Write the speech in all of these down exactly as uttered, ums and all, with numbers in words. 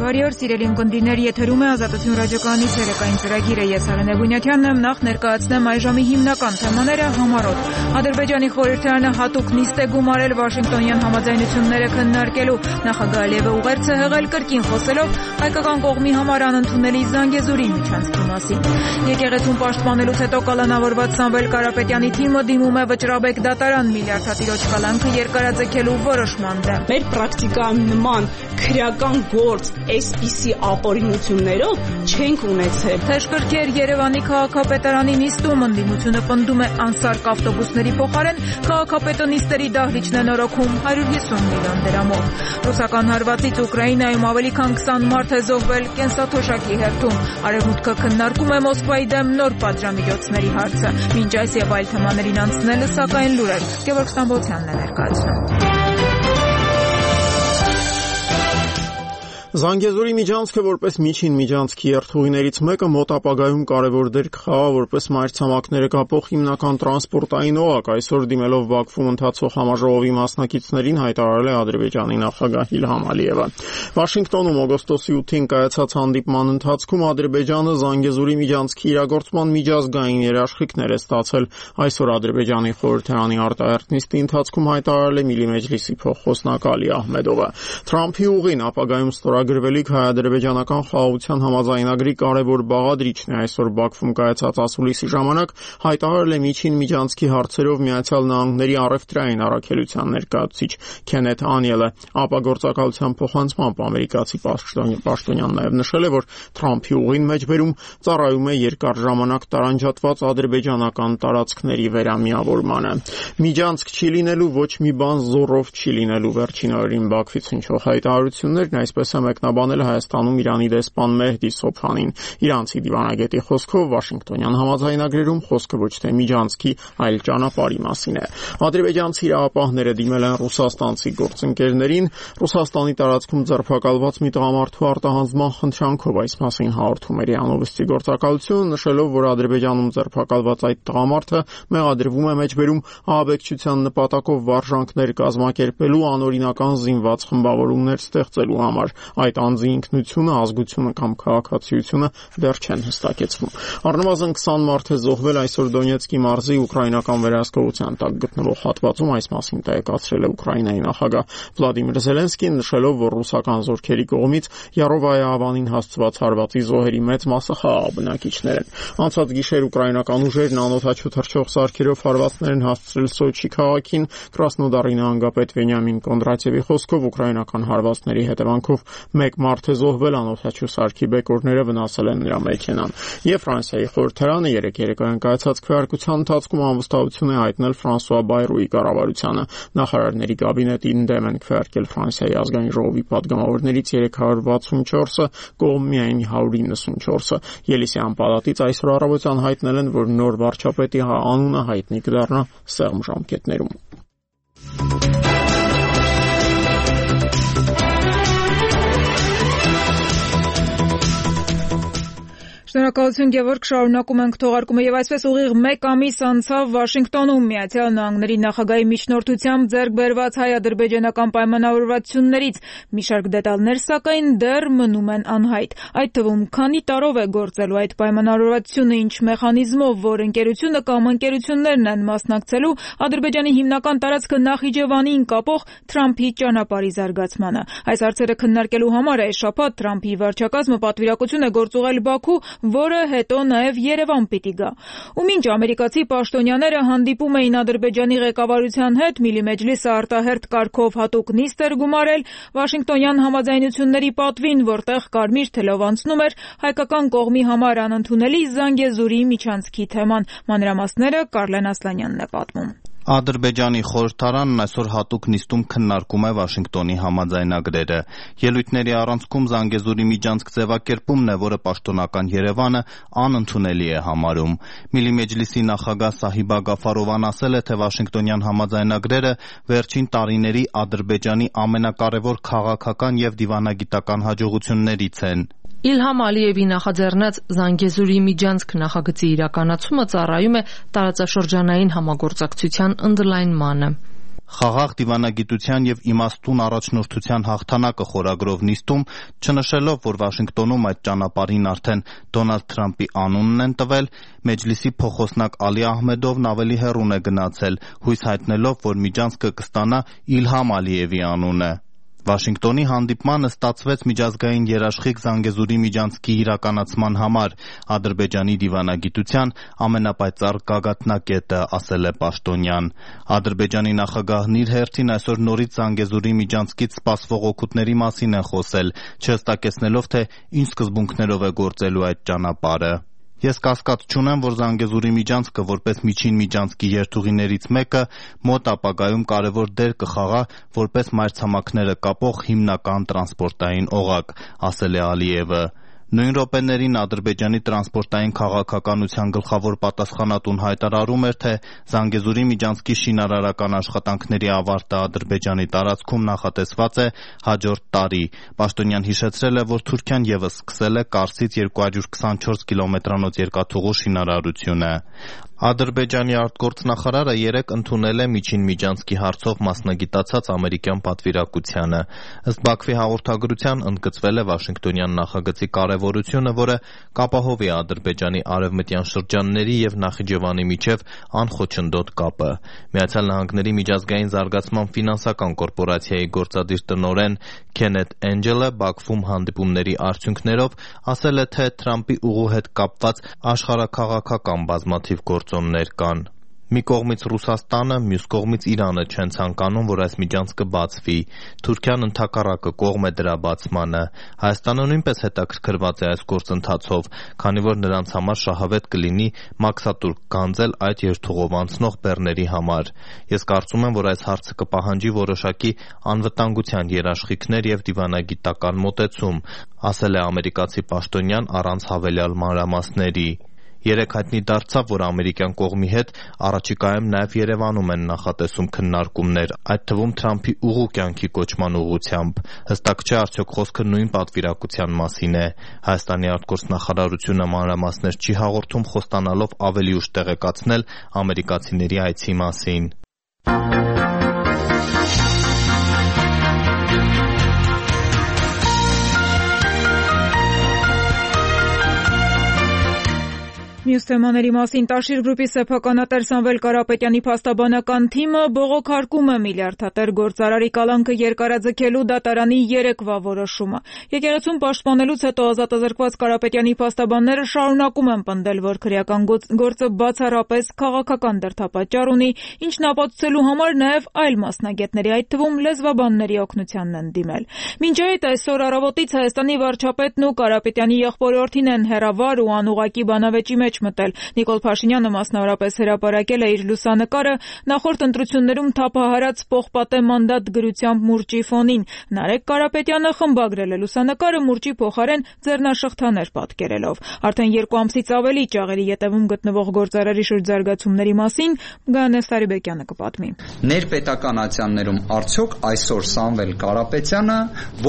Բարի օր, սիրելի ունկնդիրներ, եթերում է Ազատություն ռադիոկայանի ցերեկային ծրագիրը։ Ես Արենե Բունյաթյանն եմ, նախ ներկայացնեմ այժմի հիմնական թեմաները համառոտ։ Ադրբեջանի խորհրդարանը հատուկ նիստ է գումարել Վաշինգտոնյան համաձայնությունները քննարկելու։ Նախագահ Ալիևը ուղերձ է հղել կրկին խոսելով հայկական կողմի համար անընդունելի Զանգեզուրի միջանցքի մասին։ Եկեղեցուն պաշտպանելուց հետո կալանավորված Սամվել Կարապետյանի թիմը դիմում է Վճռաբեկ դատարան միլիարդատիրոջ կալանքը երկարաձգելու որոշման դեմ։ Մեր պրակտիկան նման քրեական գործ այսպիսի ապօրինություններով չենք ունեցել։ Թեժկրքեր Երևանի քաղաքապետարանի նիստում ընդդիմությունը պնդում է անսարք ավտոբուսների փոխարեն քաղաքապետանիստերի դահլիճն է նորոգում հարյուր հիսուն միլիոն դրամով։ Ռուսական հարվածից Ուկրաինայում ավելի քան քսան մարդ է զոհվել կենսաթոշակի հերթում։ Արևմուտքը քննարկում է Մոսկվայի դեմ նոր պատժամիջոցների հարցը։ Մինչ այս եւ այլ թեմաներին անցնելը սակայն լուրեր։ Գևորգ Ստամբոլցյանն է ներկայացնում։ Զանգեզուրի միջանցքը որպես միջին միջանցքի երթուղիներից մեկը մոտ ապագայում կարևոր դեր կխաղա որպես մայրցամաքները կապող հիմնական տրանսպորտային օղակ, այսօր դիմելով Բաքվում ընթացող համաժողովի մասնակիցներին հայտարարել է Ադրբեջանի նախագահ Իլհամ Ալիևը։ Վաշինգտոնում օգոստոսի ութին կայացած հանդիպման ընթացքում Ադրբեջանը Զանգեզուրի միջանցքի իրագործման միջազգային երաշխիքներ է ստացել։ Այսօր Ադրբեջանի խորհրդարանի արտահերթ նիստի ընթացքում հայտարարել է Միլի Մեջլիսի փոխխոսնակ Ալի Ահմեդովը։ Թրամփի ուղին ապագայում Գրվելիք հայ-ադրբեջանական խաղաղության համաձայնագրի կարևոր բաղադրիչն է այսօր Բաքվում կայացած ասուլիսի ժամանակ հայտարարել է միջին միջանցքի հարցերով Միացյալ Նահանգների առևտրային առաքելության ներկայացուցիչ Քենեթ Անիելը։ Ապագործակալության փոխանցմամբ ամերիկացի պաշտոնյան նաև նշել է, որ Թրամփի ուղին մեջբերում ծառայում է երկար ժամանակ տարանջատված ադրբեջանական տարածքների վերամիավորմանը։ Միջանցք չի լինելու, ոչ մի բան զոռով չի լինելու։ Վերջին օրերին Բաքվից հնչող հայտարարություններն այսպես մեկնաբանել Հայաստանում Իրանի դեսպան Մեհդի Սոփանին։ Իրանցի դիվանագետի խոսքով Վաշինգտոնյան համաձայնագրերում խոսքը ոչ թե միջանցքի, այլ ճանապարհի մասին է։ Ադրբեջանցի իրավապահները դիմել են ռուսաստանցի գործընկերներին Ռուսաստանի տարածքում ձերբակալված մի տղամարդու արտահանձնման խնդրանքով, այս մասին հաղորդում էր Յանովստի գործակալությունը, նշելով, որ Ադրբեջանում ձերբակալված այդ տղամարդը մեղադրվում է մեջբերում ահաբեկչության նպատակով վարժանքներ կազմակերպելու անօրինական զինված խմբավորումներ ստեղծելու համար։ Այդ անձի ինքնությունը, ազգությունը կամ քաղաքացիությունը դեռ չեն հստակեցվում։ Առնվազն քսան մարդ է զոհվել այսօր Դոնեցկի մարզի ուկրաինական վերահսկողության տակ գտնվող հատվածում, այս մասին տեղեկացրել է Ուկրաինայի նախագահ Վլադիմիր Զելենսկին, նշելով, որ ռուսական զորքերի կողմից Յարովայա ավանին հասցված հարվածի զոհերի մեծ մասը խաղաղ բնակիչներ են։ Անցած գիշեր ուկրաինական ուժերն անօդաչու թռչող սարքերով հարվածներ են հասցրել Սոչի քաղաքին։ Կրասնոդարի նահանգապետ Վենյամին Կոնդրատյևի խոսքով ուկրաինական հարվածների հետևանքով մեկ մարդ է զոհվել, անօդաչու սարքի բեկորները վնասել են նրա մեքենան։ Եվ Ֆրանսիայի խորհրդարանը երեկ երեկոյան կայացած քվեարկության ընթացքում անվստահություն է հայտնել Ֆրանսուଆ Բայրոյի կառավարությանը։ Նախարարների կաբինետին դեմ են քվեարկել Ֆրանսիայի ազգային ժողովի падգամավորներից երեք հարյուր վաթսունչորսը, կողմ միայն հարյուր իննսունչորսը։ Ելիսեան պալատից այսօր առավոտյան հայտնել են, որ նոր վարչապետի անունը հայտնի կդառնա սեղմ ժամկետներում։ Շնորհակալություն Գևորգ, շարունակում ենք թողարկումը եւ այսպես ուղիղ մեկ ամիս անցավ Վաշինգտոնում Միացյալ Նահանգների նախագահի միջնորդությամբ ձեռք բերված հայ-ադրբեջանական պայմանավորվածություններից մի շարք դետալներ սակայն դեռ մնում են անհայտ։ Այդ թվում քանի տարով է գործելու այդ պայմանավորվածությունը, ինչ մեխանիզմով, որ ընկերությունը կամ ընկերություններն են մասնակցելու Ադրբեջանի հիմնական տարածքը Նախիջևանին կապող Թրամփի ճանապարհի զարգացմանը։ Այս հարցերը քննարկելու համար այս շաբաթ Թրամփի վարչակազմը պատվիրակություն է գործուղել Բաքու, որը հետո նաև Երևան պիտի գա։ Ու մինչ ամերիկացի պաշտոնյաները հանդիպում էին Ադրբեջանի ղեկավարության հետ, Միլի Մեջլիսը արտահերթ կարգով հատուկ նիստ էր գումարել Վաշինգտոնյան համաձայնությունների պատվին, որտեղ կարմիր թելով անցնում էր հայկական կողմի համար անընդունելի Զանգեզուրի միջանցքի թեման։ Մանրամասները Կարլեն Ասլանյանն է պատմում։ Ադրբեջանի խորհրդարանն այսօր հատուկ նիստում քննարկում է Վաշինգտոնի համաձայնագրերը։ Ելույթների առանցքում Զանգեզուրի միջանցք ձևակերպումն է, որը պաշտոնական Երևանը անընդունելի է համարում։ Միլի Մեջլիսի նախագահ Սահիբա Գաֆարովան ասել է, թե Վաշինգտոնյան համաձայնագրերը վերջին տարիների Ադրբեջանի ամենակարևոր քաղաքական եւ դիվանագիտական հաջողություններից են։ Իլհամ Ալիևի նախաձեռնած Զանգեզուրի միջանցք նախագծի իրականացումը ծառայում է տարածաշրջանային համագործակցության ընդլայնմանը։ Խաղաղ դիվանագիտության եւ իմաստուն առաջնորդության հաղթանակը խորագրով նիստում, չնշելով, որ Վաշինգտոնում այդ ճանապարհին արդեն Դոնալդ Թրամփի անունն են տվել, Մեջլիսի փոխոսնակ Ալի Ահմեդովն ավելի հեռուն է գնացել, հույս հայտնելով, որ միջանցքը կստանա Իլհամ Ալիևի անունը։ Վաշինգտոնի հանդիպմանը ստացվեց միջազգային երաշխիք Զանգեզուրի միջանցքի իրականացման համար Ադրբեջանի դիվանագիտության ամենապայծառ գագաթնակետը, ասել է Պաշտոնյան։ Ադրբեջանի նախագահն իր հերթին այսօր նորից Զանգեզուրի միջանցքից սպասվող օգուտների մասին է խոսել, չհստակեցնելով, թե ինչ սկզբունքներով է գործելու այդ ճանապարհը։ Ես կասկած չունեմ, որ Զանգեզուրի միջանցքը որպես միջին միջանցքի երթուղիներից մեկը մոտ ապագայում կարևոր դեր կխաղա որպես մայրցամաքները կապող հիմնական տրանսպորտային օղակ, ասել է Ալիևը։ Նույն րոպեներին Ադրբեջանի տրանսպորտային քաղաքականության գլխավոր պատասխանատուն հայտարարում էր, թե Զանգեզուրի միջանցքի շինարարական աշխատանքների ավարտը Ադրբեջանի տարածքում նախատեսված է հաջորդ տարի։ Պաշտոնյան հիշեցրել է, որ Թուրքիան ևս սկսել է Կարսից երկու հարյուր քսանչորս կիլոմետրանոց երկաթուղու շինարարությունը։ Ադրբեջանի արտգործնախարարը երեկ ընդունել է միջին միջանցքի հարցով մասնագիտացած ամերիկյան պատվիրակությանը։ Ըստ Բաքվի հաղորդագրության ընդգծվել է Վաշինգտոնյան նախագծի կարևորությունը, որը կապահովի Ադրբեջանի արևմտյան շրջանների եւ Նախիջևանի միջև անխոչնդոտ կապը։ Միացյալ Նահանգների միջազգային զարգացման ֆինանսական կորպորացիայի գործադիր տնօրեն Քենեթ Էնջելը Բաքվում հանդիպումների արդյունքներով ասել է, թե Թրամփի ուղու հետ կապված աշխարհաքաղաքական բազմաթիվ գործոններ կան։ Մի կողմից Ռուսաստանը, մյուս կողմից Իրանը չեն ցանկանում, որ այս միջանցքը բացվի։ Թուրքիան ընդհակառակը կողմ է դրա բացմանը։ Հայաստանը նույնպես հետաքրքրված է այս գործընթացով, քանի որ նրանց համար շահավետ կլինի մաքսատուրք գանձել այդ երթուղով անցնող բեռների համար։ Ես կարծում եմ, որ այս հարցը կպահանջի որոշակի անվտանգության երաշխիքներ եւ դիվանագիտական մոտեցում, ասել է ամերիկացի պաշտոնյան առանց հավելյալ մանրամասների։ Երեկ հայտնի դարձավ, որ ամերիկյան կողմի հետ առաջիկայում նաև Երևանում են նախատեսում քննարկումներ, այդ թվում Թրամփի ուղու կյանքի կոչման ուղղությամբ։ Հստակ չէ, արդյոք խոսքը նույն պատվիրակության մասին է։ Հայաստանի արտգործնախարարությունը մանրամասներ չի հաղորդում, խոստանալով ավելի ուշ տեղեկացնել ամերիկացիների այցի մասին։ Մյուս թեմաների մասին Տաշիր գրուպի սեփականատեր Սամվել Կարապետյանի փաստաբանական թիմը բողոքարկում է միլիարդատեր գործարարի կալանքը երկարաձգելու դատարանի երեկվա որոշումը։ Եկեղեցուն պաշտպանելուց հետո ազատազրկված Կարապետյանի փաստաբանները շարունակում են պնդել, որ քրեական գործը բացառապես քաղաքական դրդապատճառ ունի, ինչն ապացուցելու համար նաև այլ մասնագետների, այդ թվում լեզվաբանների օգնությանն են դիմել։ Մինչ այդ այսօր առավոտից Հայաստանի վարչապետն ու Կարապետյանի եղբորորդին են հերավար ու անուղղակի բանավեճի մեջ մտել։ Նիկոլ Փաշինյանը մասնավորապես հրապարակել է իր լուսանկարը նախորդ ընտրություններում թափահարած պողպատե մանդատ գրությամբ մուրճի ֆոնին։ Նարեկ Կարապետյանը խմբագրել է լուսանկարը մուրճի փոխարեն ձեռնաշղթաներ պատկերելով։ Արդեն երկու ամսից ավելի ճաղերի ետևում գտնվող գործարարի շրջզարգացումների մասին Գանե Սարիբեկյանը կպատմի։ Ներպետական ատյաններում արդյոք այսօր Սամվել Կարապետյանը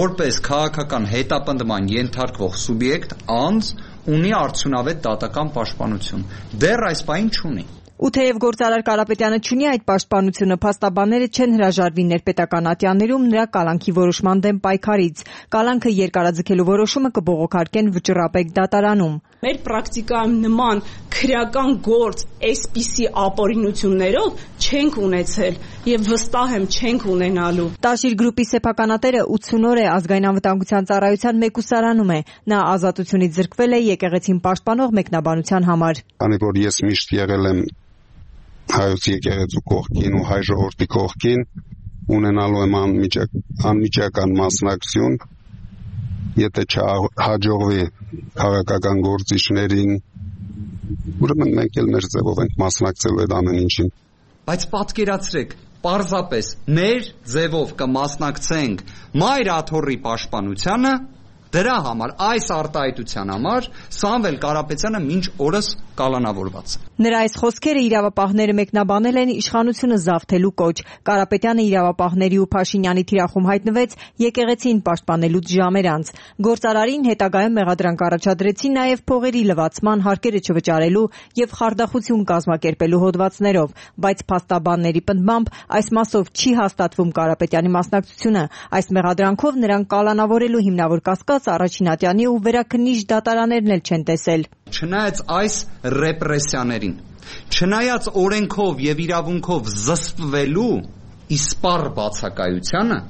որպես քաղաքական հետապնդման ենթարկվող սուբյեկտ անձ ունի արդյունավետ դատական պաշտպանություն։ Դեռ այս բանը չունի։ Ու թեև գործարար Կարապետյանը չունի այդ պաշտպանությունը, փաստաբանները չեն հրաժարվի ներպետական ատյաններում նրա կալանքի որոշման դեմ պայքարից։ Կալանքը երկարաձգելու որոշումը կբողոքարկեն վճռապեկ դատարանում։ Մեր պրակտիկայում նման քրեական գործ այսպիսի ապօրինություններով չենք ունեցել եւ վստահ եմ չենք ունենալու։ Տաշիր գրուպի սեփականատերը ութսուն օր է ազգային անվտանգության ծառայության մեկուսարանում է։ Նա ազատությունից զրկվել է եկեղեցին պաշտպանող մեկնաբանության համար։ Քանի որ ես միշտ եղել եմ հայոց եկեղեցու կողքին ու հայ ժողովրդի կողքին, ունենալու եմ անմիջական մասնակցություն, եթե չհաջողվի քաղաքական գործիչներին, ուրեմն մենք էլ մեր ձևով ենք մասնակցելու այդ ամեն ինչին։ Բայց պատկերացրեք, պարզապես մեր ձևով կմասնակցենք Մայր Աթոռի պաշտպանությանը, դրա համար, այս արտահայտության համար Սամվել Կարապետյանը մինչ օրս կալանավորված է։ Նրա այս խոսքերը իրավապահները մեկնաբանել են իշխանությունը զավթելու կոչ։ Կարապետյանը իրավապահների ու Փաշինյանի թիրախում հայտնվեց եկեղեցին պաշտպանելուց ժամեր անց։ Գործարարին հետագայում մեղադրանք առաջադրեցին նաև փողերի լվացման, հարկերը չվճարելու եւ խարդախություն կազմակերպելու հոդվածներով, բայց փաստաբանների պնդմամբ այս մասով չի հաստատվում Կարապետյանի մասնակցությունը։ Այս մեղադրանքով նրան կալանավորելու հիմնավոր կասկած առաջին ատյանի ու վերաքննիչ դատարաններն էլ չեն տեսել։ Չնայած այս ռեպրեսիաներին, չնայած օրենքով եւ իրավունքով զսպվելու իսպառ բացակայությանը,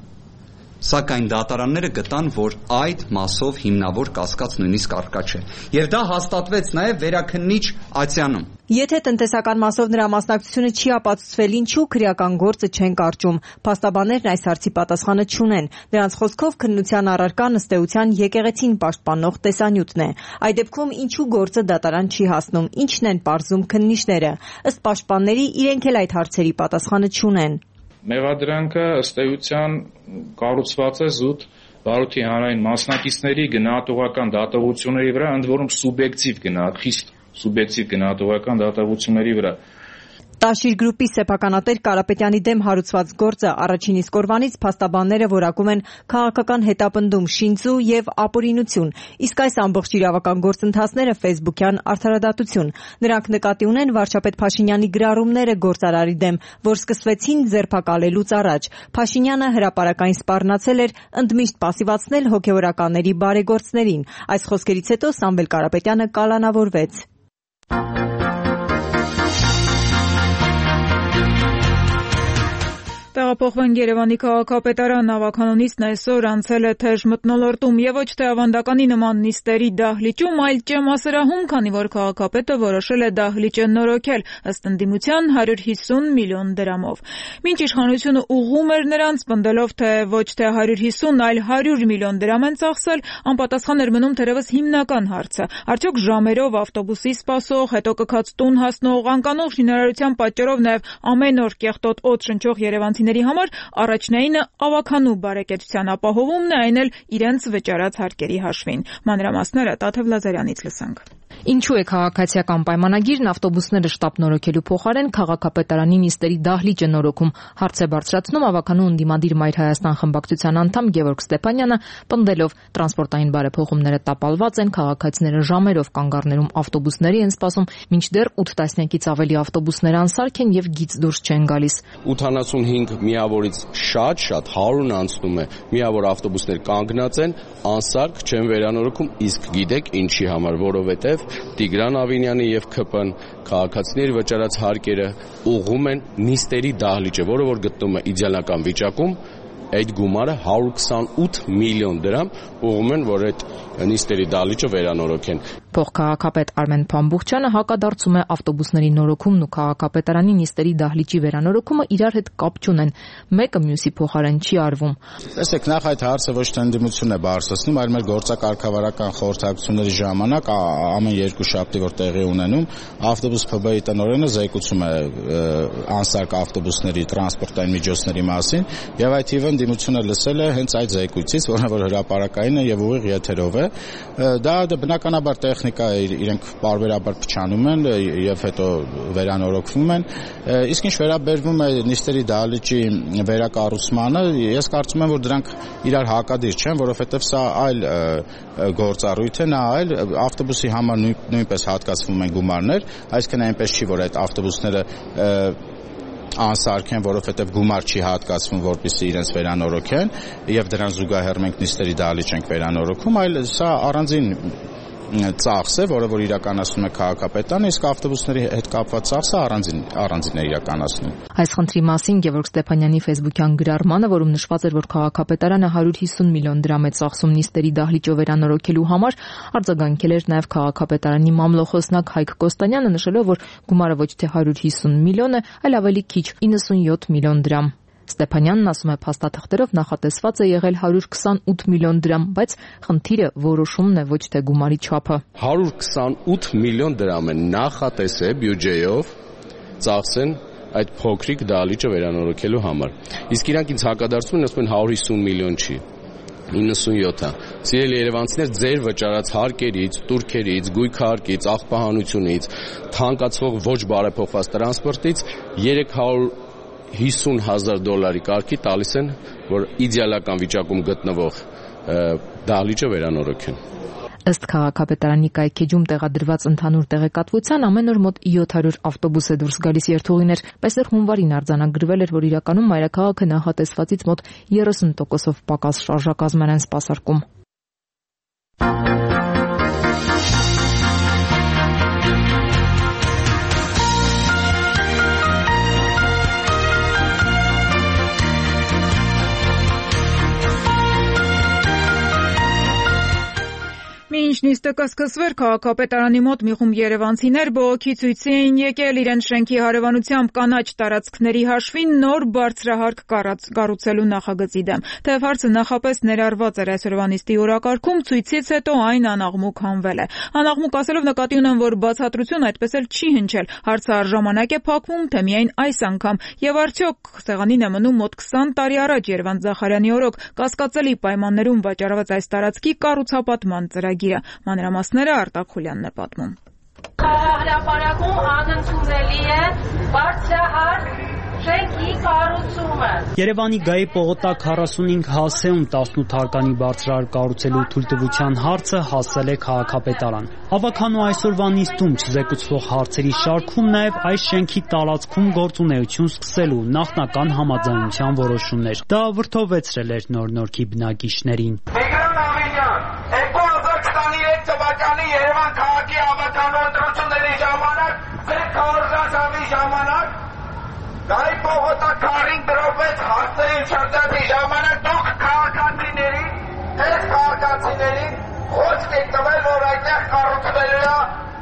սակայն դատարանները գտան, որ այդ մասով հիմնավոր կասկած նույնիսկ առկա չէ։ Եվ դա հաստատվեց նաև վերաքննիչ ատյանում։ Եթե տնտեսական մասով նրա մասնակցությունը չի ապացուցվել, ինչու քրեական գործը չեն կարճում։ Փաստաբաններն այս հարցի պատասխանը չունեն։ Նրանց խոսքով քննության առարկան ըստ էության եկեղեցին պաշտպանող տեսանյութն է։ Այդ դեպքում ինչու գործը դատարան չի հասնում, ինչն են պարզում քննիչները։ Ըստ պաշտպանների իրենք էլ այդ հարցերի պատասխանը չունեն։ Մեղադրանքը ըստ էության կառուցված է զուտ բարոյթի հանրային մասնակիցների գնահատողական դատողությունների վրա, ընդ որում սուբյեկտիվ գնահատ, խիստ սուբյեկտիվ գնահատողական դատողությունների վրա։ Տաշիր գրուպի սեփականատեր Կարապետյանի դեմ հարուցված գործը առաջին իսկ օրվանից փաստաբանները որակում են քաղաքական հետապնդում, շինծու եւ ապօրինություն, իսկ այս ամբողջ իրավական գործընթացները ֆեյսբուքյան արդարադատություն։ Նրանք նկատի ունեն վարչապետ Փաշինյանի գրառումները գործարարի դեմ, որ սկսվեցին ձերբակալելուց առաջ։ Փաշինյանը հրապարակային սպառնացել էր ընդմիշտ պասիվացնել հոգեվորականների բարեգործներին։ Այս խոսքերից հետո Սամվել Կարապետյանը կալանավորվեց։ Տեղափոխվենք Երևանի քաղաքապետարան, ավականոնիցն այսօր անցել է թեժ մթնոլորտում եւ ոչ թե ավանդականի նման նիստերի դահլիճում, այլ ճեմասրահում, քանի որ քաղաքապետը որոշել է դահլիճը նորոգել, ըստ ընդդիմության հարյուր հիսուն միլիոն դրամով։ Մինչ իշխանությունը ուղղում էր նրանց, պնդելով, թե ոչ թե հարյուր հիսուն, այլ հարյուր միլիոն դրամ են ծախսել, անպատասխան էր մնում թերևս հիմնական հարցը. արդյոք ժամերով ավտոբուսի սպասող, հետո կքած տուն հասնող, անկանող շինարարության պատճառով նաեւ ամեն օր կեղտոտ օդ շնչող երևանցիների համար առաջնայինը ավականու բարեկեցության ապահովումն է, այն էլ իրենց վճարած հարկերի հաշվին։ Մանրամասները Տաթև Լազարյանից լսանք։ Ինչու է քաղաքացիական պայմանագիրն ավտոբուսները շտապ նորոգելու փոխարեն քաղաքապետարանի նիստերի դահլիճը նորոգում, հարց է բարձրացնում ավականու ընդդիմադիր Մայր Հայաստան խմբակցության անդամ Գևորգ Ստեփանյանը, պնդելով տրանսպորտային բարեփոխումները տապալված են, քաղաքացիները ժամերով կանգառներում ավտոբուսների են սպասում, մինչդեռ ութ տասնյակից ավելի ավտոբուսներ անսարք են եւ գիծ դուրս չեն գալիս։ ութանասունհինգ միավորից շատ-շատ հարյուրն անցնում է, միավոր ավտոբուսներ կանգնած են, անսարք չեն վերանորոգում, իսկ գիտեք ինչի համար, որովհետեւ Տիգրան Ավինյանի եւ ՔՊ-ն քաղաքացիների վճարած հարկերը ուղղում են նիստերի դահլիճը, որը որ գտնվում է իդեալական վիճակում, այդ գումարը հարյուր քսանութ միլիոն դրամ ուղղում են, որ այդ նիստերի դահլիճը վերանորոգեն։ Փոխքաղաքապետ Արմեն Փամբուխչյանը հակադարձում է ավտոբուսների նորոգումն ու քաղաքապետարանի նիստերի դահլիճի վերանորոգումը իրար հետ կապ չունեն, մեկը մյուսի փոխարեն չի արվում։ Տեսեք, նախ այդ հարցը ոչ թե ընդդիմությունն է բարձրացնում, այլ մեր գործակարգավարական խորհրդակցությունների ժամանակ ամեն երկու շաբթի որ տեղի ունենում, ավտոբուս ՓԲ-ի տնօրենը զեկուցում է անսարք ավտոբուսների տրանսպորտային միջոցների մասին, եւ այդ թիվը ընդդիմությունը լսել է հենց այդ զեկույցից, որը որ հրապարակային է եւ ուղիղ եթերով է։ Դա բնականաբար տեխնիկա է, իրենք բարբերաբար փչանում են եւ հետո վերանորոգվում են։ Իսկ ինչ վերաբերվում է նիստերի դահլիճի վերակառուցմանը, ես կարծում եմ, որ դրանք իրար հակադիր չեն, որովհետեւ սա այլ գործառույթ է, նա այլ ավտոբուսի համար նույնպես հատկացվում են գումարներ, այսինքն այնպես չի, որ այդ ավտոբուսները անսարք են, որովհետև գումար չի հատկացվում, որպեսզի իրենց վերանորոգեն եւ դրան զուգահեռ մենք նիստերի դահլիճ ենք վերանորոգում, այլ սա առանձին ծախս է, որը որ իրականացնում է քաղաքապետարանը, իսկ ավտոբուսների հետ կապված ծախսը առանձին առանձին է իրականացնում։ Այս խնդրի մասին Գևորգ Ստեփանյանի ֆեյսբուքյան գրառմանը, որում նշված էր, որ քաղաքապետարանը հարյուր հիսուն միլիոն դրամ է ծախսում նիստերի դահլիճը վերանորոգելու համար, արձագանքել էր նաև քաղաքապետարանի մամլոխոսնակ Հայկ Կոստանյանը, նշելով, որ գումարը ոչ թե հարյուր հիսուն միլիոն է, այլ ավելի քիչ իննսունյոթ միլիոն դրամ։ Ստեփանյանն ասում է, փաստաթղթերով նախատեսված է եղել հարյուր քսանութ միլիոն դրամ, բայց խնդիրը որոշումն է, ոչ թե գումարի չափը։ հարյուր քսանութ միլիոն դրամ է նախատեսել բյուջեով ծախսեն այդ փոքրիկ դահլիճը վերանորոգելու համար։ Իսկ իրանք ինձ հակադարձում են, ասում են հարյուր հիսուն միլիոն չի, իննսունյոթ է։ Սիրելի երևանցիներ, ձեր վճարած հարկերից, տուրքերից, գույքահարկից, աղբահանությունից, թանկացվող ոչ բարեփոխված տրանսպորտից երեք հարյուր հիսուն հազար դոլարի կարգի տալիս են, որ իդեալական վիճակում գտնվող դահլիճը վերանորոգեն։ Ըստ քաղաքապետարանի կայքեջում տեղադրված ընդհանուր տեղեկատվության ամեն օր մոտ յոթ հարյուր ավտոբուս է դուրս գալիս երթուղիներ։ Պեսեր հունվարին արձանագրվել էր, որ իրականում մայրաքաղաքը նախատեսվածից մոտ երեսուն տոկոսով պակաս շարժակազմեր են սպասարկում։ Մինչ նիստը կսկսվեր, քաղաքապետարանի մոտ մի խումբ երևանցիներ բողոքի ցույցի էին եկել իրենց շենքի հարևանությամբ կանաչ տարածքների հաշվին նոր բարձրահարկ կառուցելու նախագծի դեմ։ Թեև հարցը նախապես ներառված էր այսօրվա նիստի օրակարգում, ցույցից հետո այն անաղմուկ հանվել է։ Անաղմուկ ասելով նկատի ունեմ, որ բացատրություն այդպես էլ չի հնչել։ Հարցը առժամանակ է փակվում, թե միայն այս անգամ։ Եվ արդյոք սեղանին է մնում մոտ քսան տարի առաջ Երվանդ Զախարյանի օրոք կասկածելի պայմաններում վաճառված այս տարածքի կառուցապատման ծրագիրը։ Մանրամասները Արտակ Խուլյանն է պատմում։ Հրապարակում անընդունելի է բարձրահարկ շենքի կառուցումը։ Երևանի Գայի պողոտակ քառասունհինգ հասեում տասնութ հարկանի բարձրահարկ կառուցելու թույլտվության հարցը հասել է քաղաքապետարան։ Ավականու այսօրվա նիստում չզեկուցվող հարցերի շարքում նաև այս շենքի տարածքում գործունեություն սկսելու նախնական համաձայնության որոշումներ։ Դա վրդովեցրել էր Նոր Նորքի բնակիչներին։ Երևան քաղաքի ավականու ընտրությունների ժամանակ, ձեր քարոզաշավի ժամանակ, Գայի պողոտակ քարին դրոպեց հարցերի շրջանի ժամանակ դուք քաղաքացիների, այս քաղաքացիներին խոսք եք տվել, որ այդտեղ կառուցվելու է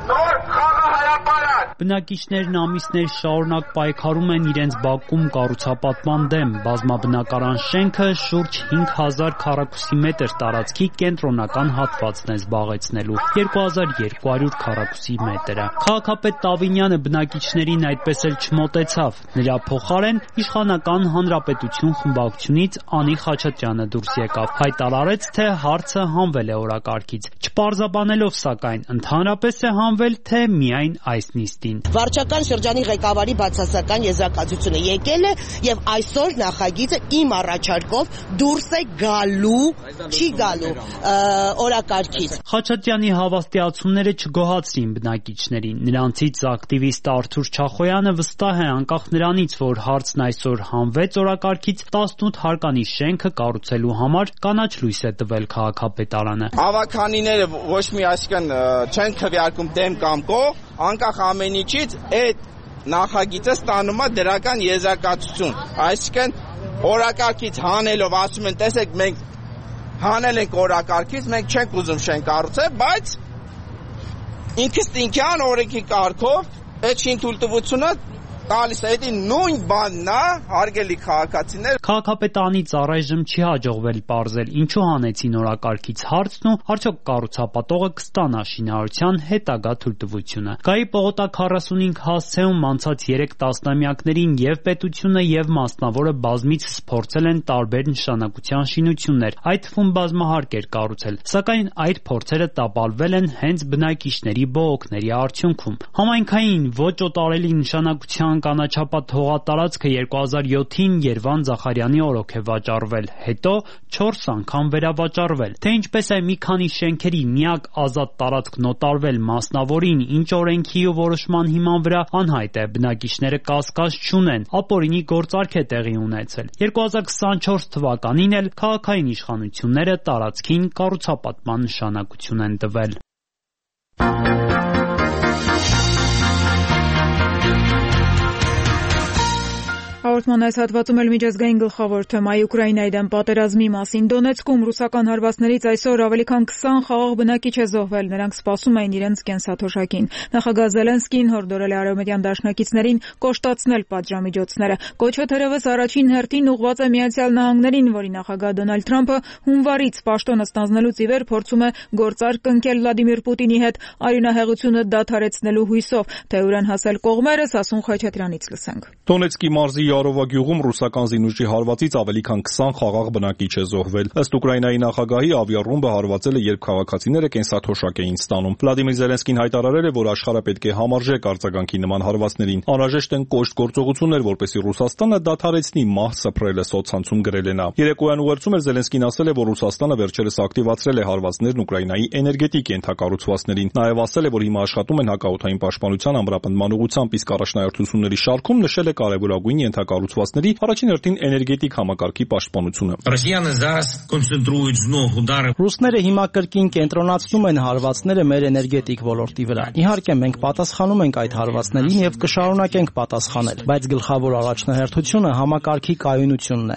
նոր խաղահրապարակ։ Բնակիչներն ամիսներ շարունակ պայքարում են իրենց բակում կառուցապատման դեմ։ Բազմաբնակարան շենքը շուրջ հինգ հազար քառակուսի մետր տարածքի կենտրոնական հատվածն է զբաղեցնելու, երկու հազար երկու հարյուր քառակուսի մետրը։ Քաղաքապետ Տավինյանը բնակիչներին այդպես էլ չմոտեցավ։ Նրա փոխարեն Իշխանական Հանրապետություն խմբակցությունից Անի Խաչատրյանը դուրս եկավ, հայտարարեց, թե հարցը հանվել է օրակարգից, չպարզաբանելով սակայն ընդհանրապես է հանվել, թե միայն այս նիստին։ Վարչական շրջանի ղեկավարի բացասական եզրակացությունը եկել է եւ այսօր նախագիծը իմ առաջարկով դուրս է գալու, չի գալու օրակարգից։ Խաչատրյանի հավաստիացումները չգոհացրին բնակիչներին։ Նրանցից ակտիվիստ Արթուր Չախոյանը վստահ է, անկախ նրանից, որ հարցն այսօր հանվեց օրակարգից, տասնութ հարկանի շենքը կառուցելու համար կանաչ լույս է տվել քաղաքապետարանը։ Ավականիները ոչ մի այսքան չեն քվեարկում դեմ կամ կողմ, անկախ ամեն ինչից այդ նախագիծը ստանում է դրական եզրակացություն։ Այսինքն օրակարգից հանելով ասում են, տեսեք, մենք հանել ենք օրակարգից, մենք չենք ուզում շենք կառուցել, բայց ինքստինքյան օրենքի կարգով այդ շինթույլտվությունը տալիս է, դա նույն բանն է, հարգելի քաղաքացիներ։ Քաղաքապետարանից առայժմ չի հաջողվել պարզել ինչու հանեցին օրակարգից հարցն ու արդյոք կառուցապատողը կստանա շինարարության հետագա թույլտվությունը։ Գայի պողոտակ քառասունհինգ հասցեում անցած երեք տասնամյակներին եւ պետությունը եւ մասնավորը բազմիցս փորձել են տարբեր նշանակության շինություններ, այդ թվում բազմահարկեր կառուցել, սակայն այդ փորձերը տապալվել են հենց բնակիչների բողոքների արդյունքում։ Համայնքային ոչ օտարելի նշանակության կանաչապատ հողատարածքը երկու հազար յոթին Երվանդ Զախարյանի օրոք է վաճառվել, հետո չորս անգամ վերավաճառվել։ Թե ինչպես է մի քանի շենքերի միակ ազատ տարածքն օտարվել մասնավորին, ինչ օրենքի ու որոշման հիման վրա անհայտ է, բնակիչները կասկած չունեն, ապօրինի գործարք է տեղի ունեցել։ երկու հազար քսանչորս թվականին էլ քաղաքային իշխանությունները տարածքին կառուցապատման նշանակություն են տվել։ Հաղորդման այս հատվածում էլ միջազգային գլխավոր թեմայի Ուկրաինայի դեմ պատերազմի մասին։ Դոնեցկում ռուսական հարվածներից այսօր ավելի քան քսան խաղաղ բնակիչ է զոհվել, նրանք սպասում էին իրենց կենսաթոշակին։ Նախագահ Զելենսկին հորդորել է արևմտյան դաշնակիցներին կոշտացնել պատժամիջոցները։ Կոչը թերևս առաջին հերթին ուղղված է Միացյալ Նահանգներին, որի նախագահ Դոնալդ Թրամփը հունվարից պաշտոնը ստանձնելուց ի վեր փորձում է գործարք կնքել Վլադիմիր Պուտինի հետ արյունահեղությունը դադարեցնելու հույսով։ Թե ուր են հասել կողմերը, Սասուն Խաչատրյանից լսենք։ Դոնեցկի մարզի Ժարովա գյուղում ռուսական զինուժի հարվածից ավելի քան քսան խաղաղ բնակիչ է զոհվել։ Ըստ Ուկրաինայի նախագահի, ավիառումբը հարվածել է, երբ քաղաքացիները կենսաթոշակ էին ստանում։ Վլադիմիր Զելենսկին հայտարարել է, որ աշխարհը պետք է համարժեք արձագանքի նման հարվածներին։ Անհրաժեշտ են կոշտ գործողություններ, որպեսզի Ռուսաստանը դադարեցնի մահ սփռելը, սոցցանցում գրել է նա։ Երեկոյան ուղերձում էլ Զելենսկին ասել է, որ Ռուսաստանը վերջերս ակտիվացրել է հարվածներն Ուկրաինայի էներգետիկ ենթակառուցվածքներին։ Նաև ասել է, որ հիմա աշխատում են հակաօդային պաշտպանության ամրապնդման ուղղությամբ, իսկ առաջնահերթությունների շարքում նշել է կարևորագույն ենթակառուցվածքների, առաջին հերթին էներգետիկ համակարգի պաշտպանությունը։ Ռուսները հիմա կրկին կենտրոնացնում են հարվածները մեր էներգետիկ ոլորտի վրա։ Իհարկե, մենք պատասխանում ենք այդ հարվածներին եւ կշարունակենք պատասխանել, բայց գլխավոր առաջնահերթությունը համակարգի կայունությունն է։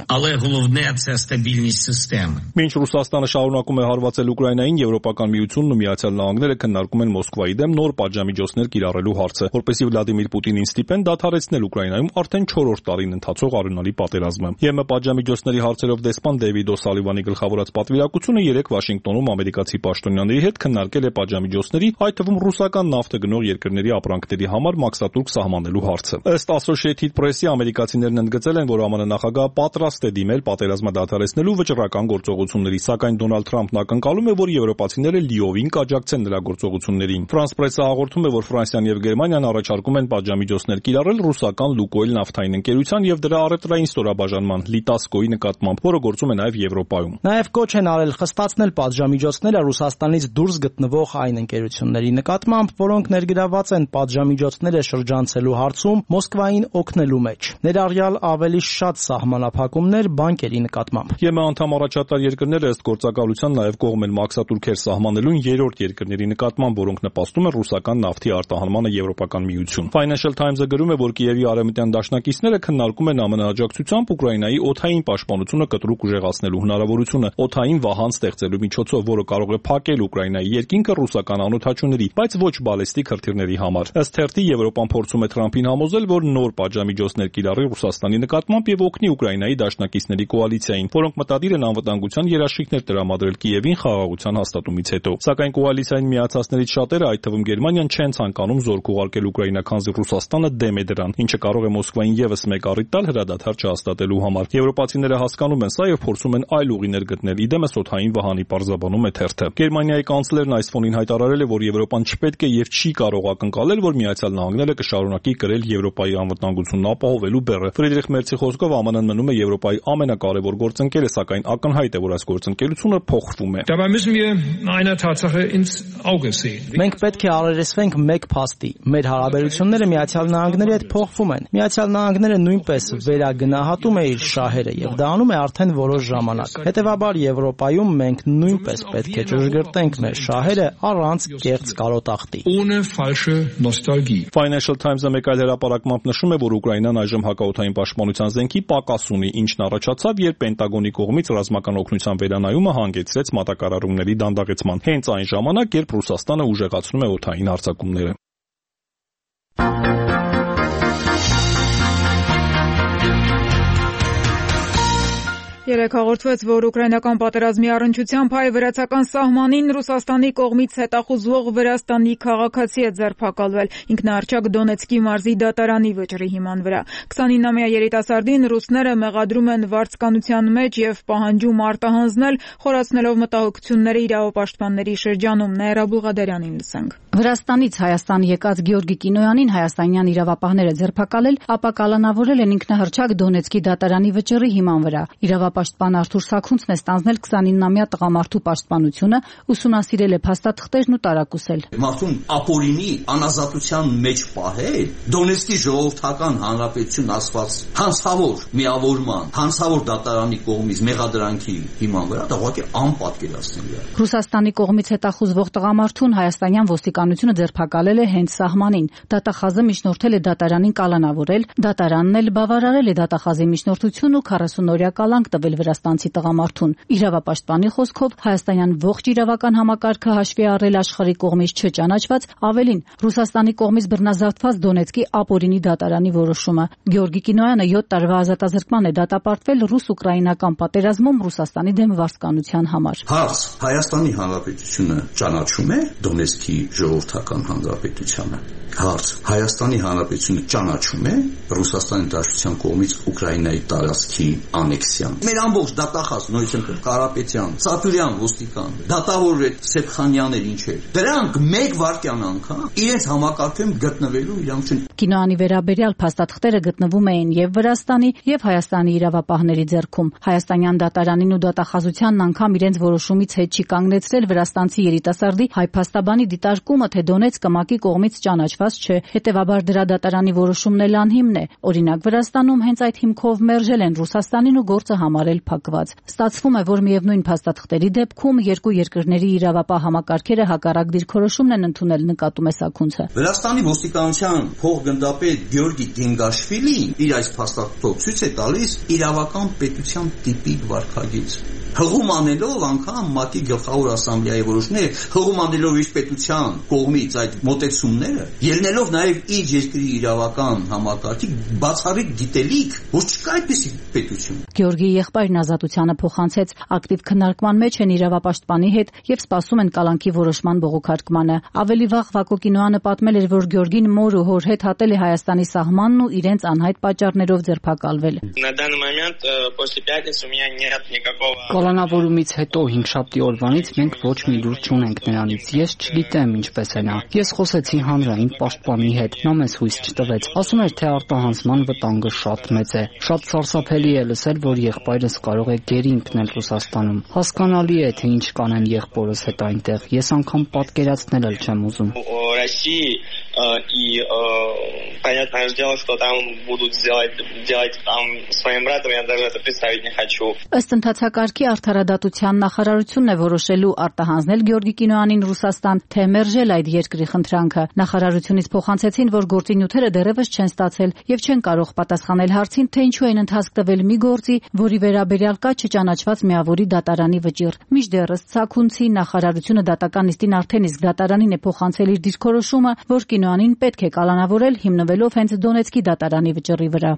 Մինչ Ռուսաստանը շարունակում է հարվածել Ուկրաինային, Եվրոպական միությունն ու Միացյալ Նահանգները քննարկում են Մոսկվայի դեմ նոր պատժամիջոցներ կիրառելու հարցը, որպեսզի Վլադիմիր Պուտինին ստիպեն դադարեցնել Ուկրաինայում արդեն չորրորդ տարին ընթացող արյունալի պատերազմը։ ԵՄ պատժամիջոցների հարցերով դեսպան Դեյվիդ Օ'Սալիվանի գլխավորած պատվիրակությունը երեկ Վաշինգտոնում ամերիկացի պաշտոնյաների հետ քննարկել է պատժամիջոցների, այդ թվում ռուսական նավթը գնող երկրների ապրանքների համար մաքսատուրք սահմանելու հարցը։ Ըստ Associated Press-ի, ամերիկացիներն ընդգծել են, որ ԱՄՆ նախագահը պատրաստ է դիմել պատերազմը դադարեցնելու վճռական գործողությունների, սակայն Դոնալդ Թրամփն ակնկալում է, որ եվրոպացիները լիովին կաջակցեն նրա գործողություններին։ France Press-ը հաղորդում է, որ Ֆրանսիան եւ Գերմանիան առաջարկում են պատժամիջոցներ կիրառել ռուսական Լուկոյլ նավթային ընկերության եւ դրա առևտրային ստորաբաժանման Լիտասկոյի նկատմամբ, որը գործում է նաեւ Եվրոպայում։ Նաեւ կոչ են արել խստացնել պատժամիջոցները Ռուսաստանից դուրս գտնվող այն ընկերությունների նկատմամբ, որոնք ներգրաված են պատժամիջոցները շրջանցելու հարցում Մոսկվային օգնելու մեջ, ներառյալ ավելի շատ սահմանափակումներ բանկերի նկատմամբ։ ԵՄ անդամ առաջատար երկրները ըստ գործակալության նաեւ կողմ են մաքսատուրքեր սահմանելուն երրորդ երկրների նկատմամբ, որոնք նպաստում են ռուսական նավթի արտահանմանը Եվրոպական միություն։ Financial Times-ը գրում է, որ Կիևի արևմտյան դաշնակիցները քննարկում են ԱՄՆ աջակցությամբ Ուկրաինայի օդային պաշտպանությունը կտրուկ ուժեղացնելու հնարավորությունը, օդային վահան ստեղծելու միջոցով, որը կարող է փակել Ուկրաինայի երկինքը ռուսական անօդաչուների, բայց ոչ բալեստիկ հրթիռների համար։ Ըստ թերթի, Եվրոպան փորձում է Թրամփին համոզել, որ նոր պատժամիջոցներ կիրառի Ռուսաստանի նկատմամբ եւ օգնի Ուկրաինայի դաշնակիցների կոալիցիային, որոնք մտադիր են անվտանգության երաշխիքներ տրամադրել Կիևին խաղաղության հաստատումից հետո։ Սակայն կոալիցիային միացածներից շատերը, այդ թվում Գերմանիան, չեն ցանկանում զորք ուղարկել Ուկրաինա, քանզի Ռուսաստանը դեմ է դրան, ինչը կարող է Մոսկվային եւս մեկ առիթ տալ հրադադար չհաստատելու համար։ Եվրոպացիները հասկանում են սա եւ փորձում են այլ ուղիներ գտնել։ Իդեմս օդային վահանի պարզաբանում է թերթը։ Գերմանիայի կանցլերն այս ֆոնին հայտարարել է, որ Եվրոպան չպետք է եւ չի կարող ակնկալել, որ Միացյալ Նահանգները կշարունակի կրել Եվրոպայի անվտանգությունն ապահովելու բեռը։ Ֆրիդրիխ Մերցի խոսքով ԱՄՆ-ն մնում է Եվրոպայի ամենակարևոր գործընկերը, սակայն ակնհայտ է, որ այս գործընկերությունը փոխվում է։ Մենք պետք է առերեսվենք մեկ փաստի։ Մեր հարաբերությունները Միացյալ Նահանգների հետ փոխվում են։ Միացյալ Նահանգները նույնպես վերագնահատում է իր շահերը եւ դա անում է արդեն որոշ ժամանակ։ Հետևաբար Եվրոպայում մենք նույնպես պետք է ճշգրտենք մեր շահերը առանց կեղծ կարոտախտի։ Financial Times-ը մեկ այլ հրապարակմամբ նշում է, որ Ուկրաինան այժմ հակաօդային պաշտպանության զենքի պակաս ունի, ինչն առաջացավ, երբ Պենտագոնի կողմից ռազմական օգնության վերանայումը հանգեցրեց մատակարարումների դանդաղեցման, հենց այն ժամանակ, երբ Ռուսաստանը ուժեղացնում է օդային հարձակումները։ Երեկ հաղորդվեց, որ ուկրաինական պատերազմի առնչությամբ հայ վրացական սահմանին Ռուսաստանի կողմից հետախուզվող Վրաստանի քաղաքացի է ձերբակալվել ինքնահռչակ Դոնեցկի մարզի դատարանի վճռի հիման վրա։ քսանինամյա երիտասարդին ռուսները մեղադրում են վարձկանության մեջ եւ պահանջում արտահանձնել, խորացնելով մտահոգությունները իրավապաշտպանների շրջանում։ Նաիրա Բուղադարյանին լսենք։ Վրաստանից Հայաստան եկած Գեորգի Կինոյանին հայաստանյան իրավապահները ձերբակալել, ապա կալանավորել են ինքնահռչակ Դոնեցկի դատարանի վճռի հիման վրա։ Իրավապաշտպան Արթուր Սաքունցն է ստանձնել քսանինամյա տղամարդու պաշտպանությունը, ուսումնասիրել է փաստաթղթերն ու տարակուսել։ Մարդուն ապօրինի անազատության մեջ պահել Դոնեցկի ժողովրդական հանրապետություն ասված հանցավոր միավորման, հանցավոր դատարանի կողմից մեղադրանքի հիման վրա դա ուղղակի անպատկերացնելի է։ Ռուսաստանի կողմից հետախուզվող տղամարդուն հայաստանյան ոստիկանությունը ձերբակալել է հենց սահմանին։ Դատախազը միջնորդել է դատարանին կալանավորել, դատարանն էլ բավարարել է դատախազի միջնորդությունն ու քառասունօրյա կալանք տվել վրաստանցի տղամարդուն։ Իրավապաշտպանի խոսքով հայաստանյան ողջ իրավական համակարգը հաշվի առել աշխարհի կողմից չճանաչված, ավելին Ռուսաստանի կողմից բռնազավթված Դոնեցկի ապօրինի դատարանի որոշումը։ Գեորգի Կինոյանը յոթ տարվա ազատազրկման է դատապարտվել ռուս-ուկրաինական պատերազմում Ռուսաստանի դեմ վարձկանության համար։ Հարց. Հայաստանի Հանրապետությունը ճանաչում է Դոնեցկի ժողովրդական հանրապետությանը։ Հարց. Հայաստանի Հանրապետությունը ճանաչում է Ռուսաստանի Դաշնության կողմից Ուկրաինայի տարածքի անեքսիան։ Մեր ամբողջ դատախազ նույնիսկ Կարապետյան, Սաթուրյան ոստիկան, դատավոր այդ Սեփխանյաններ ինչեր։ Դրանք մեկ վայրկյան անգամ իրենց համակարգում գտնվելու իրավունք չունեն։ Կինոանի վերաբերյալ փաստաթղթերը գտնվում էին եւ Վրաստանի եւ Հայաստանի իրավապահների ձեռքում։ Հայաստանյան դատարանին ու դատախազությանն անգամ իրենց որոշումից հետ չի կանգնեցրել վրաստանցի երիտասարդի հայ փաստաբանի դիտարկումը, թե Դոնեցկը ՄԱԿ-ի կողմից ճանաչված չէ։ Հետևաբար դրա դատարանի որոշումն էլ անհիմն է։ Օրինակ Վրաստանում հենց այդ հիմքով մերժել են Ռուսաստանին ու գործը համարել փակված։ Ստացվում է, որ միևնույն փաստաթղթերի դեպքում երկու երկրների իրավապահ համակարգերը հակառակ դիրքորոշումն են ընդունել, նկատում է Սաքունցը։ Վրաստանի ոստիկանության փոխգնդապետ Գեորգի Դենգաշվիլին իր այս փաստաթղթով ցույց է տալիս իրավական պետության տիպիկ վարքագիծ։ Հղում անելով անգամ ՄԱԿ-ի գլխավոր ասամբլեայի որոշները, հղում անելով իր պետության կողմից այդ մոտեցումները, ելնելով նաև իր երկրի իրավական համակարգի բացառիկ գիտելիք, որ չկա այդպիսի պետություն։ Գեորգիի եղբայրն Ազատությանը փոխանցեց, ակտիվ քննարկման մեջ են իրավապաշտպանի հետ եւ սպասում են կալանքի որոշման բողոքարկմանը։ Ավելի վաղ Վակո Կինոյանը պատմել էր, որ Գեորգին մոր ու հոր հետ հատել է Հայաստանի սահմանն ու իրենց անհայտ պատճառներով ձերբակալվել։ На данный момент после пятницы у меня нет никакого Կալանավորումից հետո հինգշաբթի օրվանից մենք ոչ մի լուր չունենք նրանից։ Ես չգիտեմ ինչպես է նա։ Ես խոսեցի հանրային պաշտպանի հետ, նա մեզ հույս չտվեց։ Ասում էր, թե արտահանձնման վտանգը շատ մեծ է։ Շատ սարսափելի է լսել, որ եղբայրս կարող է գերի ընկնել Ռուսաստանում։ Հասկանալի է, թե ինչ կանեն եղբորս հետ այնտեղ։ Ես անգամ պատկերացնել էլ չեմ ուզում։ России и понятное дело, что там будут делать делать там своим братом, я даже это представить не хочу. Ըստ ընթացակարգի Արդարադատության նախարարությունն է որոշելու արտահանձնել Գեորգի Կինոյանին Ռուսաստան, թե մերժել այդ երկրի խնդրանքը։ Նախարարությունից փոխանցեցին, որ գործի նյութերը դեռևս չեն ստացել եւ չեն կարող պատասխանել հարցին, թե ինչու են ընթացք տվել մի գործի, որի վերաբերյալ կա չճանաչված միավորի դատարանի վճիռ։ Մինչդեռս Սաքունցի նախարարությունը դատական նիստին արդեն իսկ դատարանին է փոխանցել իր դիրքորոշումը, որ Կինոյանին պետք է կալանավորել հիմնվելով հենց Դոնեցկի դատարանի վճռի վրա։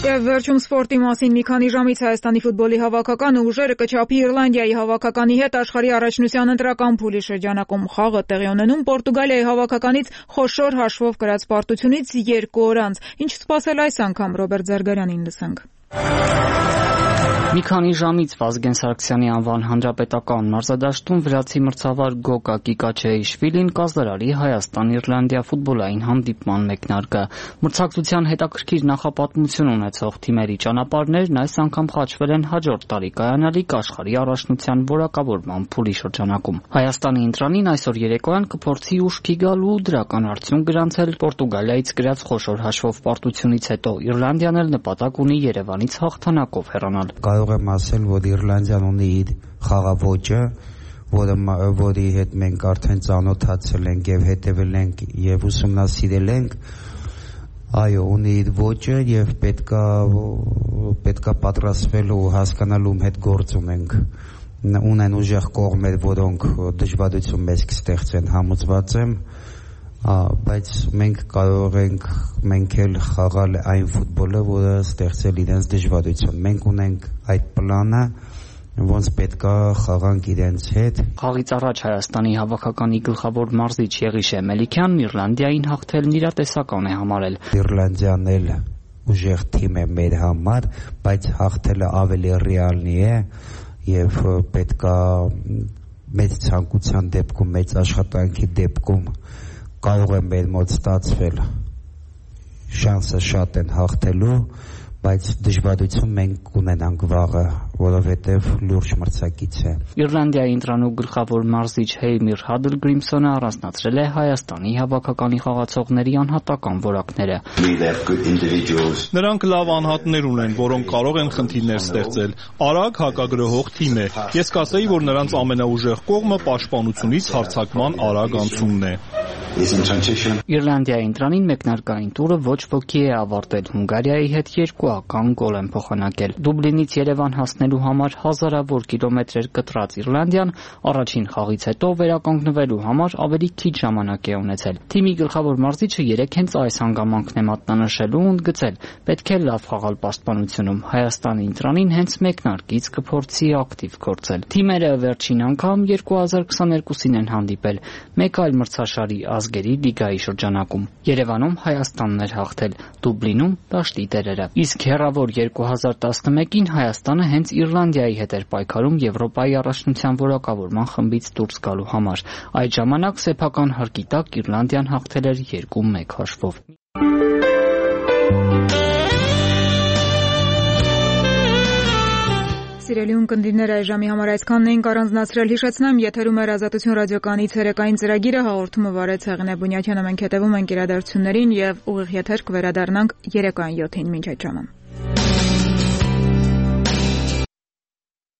Եվ վերջում սպորտի մասին մի քանի ժամից Հայաստանի ֆուտբոլի հավաքականը ուժերը կչափի Իռլանդիայի հավաքականի հետ աշխարհի առաջնության ընտրական փուլի շրջանակում խաղը տեղի ունենում Պորտուգալիայի հավաքականից խոշոր հաշվով կրած պարտությունից երկու օր անց։ Ինչ սպասել այս անգամ Ռոբերտ Զարգարյանին լսենք։ Մի քանի ժամից Վազգեն Սարգսյանի անվան հանրապետական մարզադաշտում վրացի մրցավար Գոգա Կիկաչեիշվիլին կազդարարի Հայաստան-Իռլանդիա ֆուտբոլային հանդիպման մեկնարկը։ Մրցակցության հետաքրքիր նախապատմություն ունեցող թիմերի ճանապարհներն այս անգամ խաչվել են հաջորդ տարի կայանալիք աշխարհի առաջնության որակավորման փուլի շրջանակում։ Հայաստանի ընտրանին այսօր երեկոյան կփորձի ուշքի գալ ու դրական արդյունք գրանցել Պորտուգալիայից գրած խոշոր հաշվով պարտությունից հետո։ Իռլանդիան էլ նպատակ ունի Երևանից հաղթանակով հեռանալ։ Կարող եմ ասել, որ Իռլանդիան ունի իր խաղաոճը, որը որի հետ մենք արդեն ծանոթացել ենք եւ հետեւել ենք եւ ուսումնասիրել ենք, այո, ունի իր ոճը եւ պետքա պետքա պատրաստվել ու հասկանալ ում հետ գործ ունենք։ Ունեն ուժեղ կողմեր, որոնք դժվարություն մեզ կստեղծեն, համոզված եմ, բայց մենք կարող ենք մենք էլ խաղալ այն ֆուտբոլը, որը ստեղծել իրենց դժվարություն։ Մենք ունենք այդ պլանը, ոնց պետքա խաղանք իրենց հետ։ Խաղից առաջ Հայաստանի հավաքականի գլխավոր մարզիչ Եղիշե Մելիքյանն Իռլանդիային հաղթելն իրատեսական է համարել։ Իռլանդիան էլ ուժեղ թիմ է մեր համար, բայց հաղթելը ավելի ռեալնի է եւ պետքա մեծ ցանկության դեպքում, մեծ աշխատանքի դեպքում կարող է մեր մոտ ստացվել, շանսը շատ են հաղթելու, բայց դժվարություն մենք ունենանք վաղը, որովհետև լուրջ մրցակից է։ Իռլանդիայի ընտրանու գլխավոր մարզիչ Հեյմիր Հադլգրիմսոնը առանձնացրել է Հայաստանի հավաքականի խաղացողների անհատական որակները։ Նրանք լավ անհատներ ունեն, որոնք կարող են խնդիրներ ստեղծել։ Արագ հակագրոհող թիմ է։ Ես կասեի, որ նրանց ամենաուժեղ կողմը պաշտպանությունից հարձակման արագ անցումն է։ Իռլանդիայի ընտրանին մեկնարկային տուրը ոչ ոքի է ավարտել։ Հունգարիայի հետ երկուական գոլ են փոխանակել։ Դուբլինից Երևան հասնելու համար հազարավոր կիլոմետրեր կտրած Իռլանդիան առաջին խաղից հետո վերականգնվելու համար ավելի քիչ ժամանակ է ունեցել։ Թիմի գլխավոր մարզիչը երեք հենց այս հանգամանքն է մատնանշել ու ընդգծել. պետք է լավ խաղալ պաշտպանությունում։ Հայաստանի ընտրանին հենց մեկնարկից կփորձի ակտիվ գործել։ Թիմերը վերջին անգամ երկու հազար քսաներկուսին են հանդիպել։ Մեկ այլ մրցաշարի ազգերի լիգայի շրջանակում։ Երևանում Հայաստանն էր հաղթել, Դուբլինում դաշտի տերերը։ Իսկ հեռավոր երկու հազար տասնմեկին Հայաստանը հենց Իռլանդիայի հետ էր պայքարում Եվրոպայի առաջնության որակավորման խմբից դուրս գալու համար։ Այդ ժամանակ սեփական հարկի տակ Իռլանդիան հաղթել էր երկու մեկ հաշվով։ Սիրելի ունկնդիրներ, այս ժամի համար այսքանն էինք առանձնացրել։ Հիշեցնեմ, եթերում էր Ազատություն ռադիոկայանի ցերեկային ծրագիրը, հաղորդումը վարեց Հեղինե Բունյաթյանը, մենք հետևում ենք իրադարձություններին եւ ուղիղ եթեր կվերադառնանք երեկոյան յոթին։ Մինչ այդ ժամը։